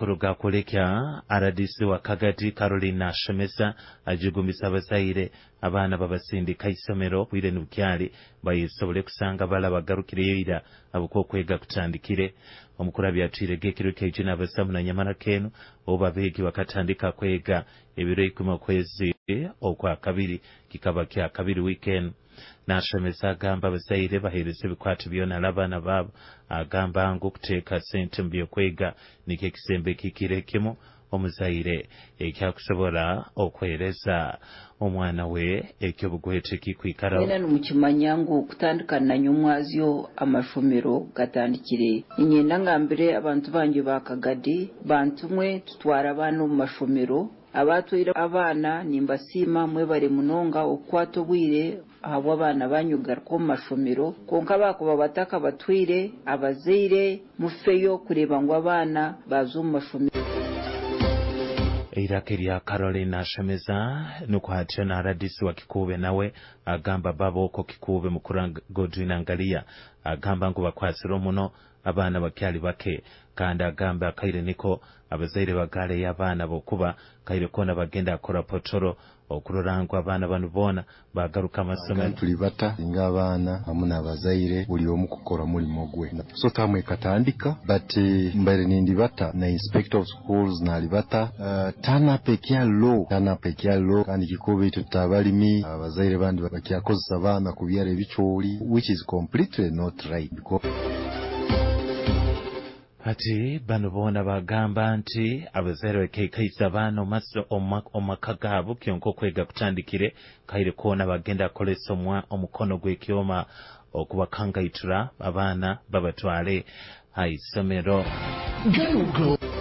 Amakuru gakulekya RDC wa Kagadi Caroline Ashemesa ajugumisa abazaire abaana babasindika isomero bwire nibukyali bayisobole kusanga bala bagarukireyo ira abuko okwega kutandikire. Omukuru abyatwire ekiro kyaije n'abasamu na nyamara kenu obu abeegi bakatandika kwega ebiro 10 okwezi okwa kabiri, kikaba kya kabiri weekend. Nashemeza agamba abazaire bahereza ebikwato byona abaana baabo, agamba ngu kuteeka sente mu byokwega nikyo ekisembo ekikire kimu omuzaire ekyakusobora okwereza omwana we ekyobugwete kikwikaraho. Mwena nimukimanya ngu kutandika na nyomwazyo amashomero gatandikire. Niinyenda ngambire abantu bangye ba Kagadi, bantumwe tutware abaana omu mashomero. Abatwaire abaana nimbasiima, mwebare munonga okukwata obwire ahabw'abaana banyu kugaruka omu mashomero. Kwonka bakuba batakabatwaire, abazaire mufeyo kureeba ngu abaana baaza omu mashomero. Eiraka erya Caroline Ashemeza. Nukwo hatyo na RDC wa Kikuube nawe agamba baboko Kikuube mukuru Godwin Angalia agamba ngu bakwasire muno abaana bakyali bake, kandi agamba akaire niko abazaire bagaleyo abaana bokuba kaire kona bagenda akora potoro okurora ngu abaana banu boona bagaruka amasomero. Tuli bata nga abaana hamu n'abazaire, buli omu kukora mulimo gwe. So term ekatandika, but mbaire nindibata na inspector of schools nalibata, turn up ekya low, turn up ekya low. Kandi Kikuube itwe tutabalimi, abazaire bandi bakyakozesa abaana kubyara ebicooli, which is completely not right because Ati bano boona bagamba nti abazaire bakeikaisa abaana omu maka gaabo, kyonka okwega kutandikire kaire koona bagenda kukolesa omukono gw'ekyoma okubakangaitura abaana babatwale ha isomero. Gano.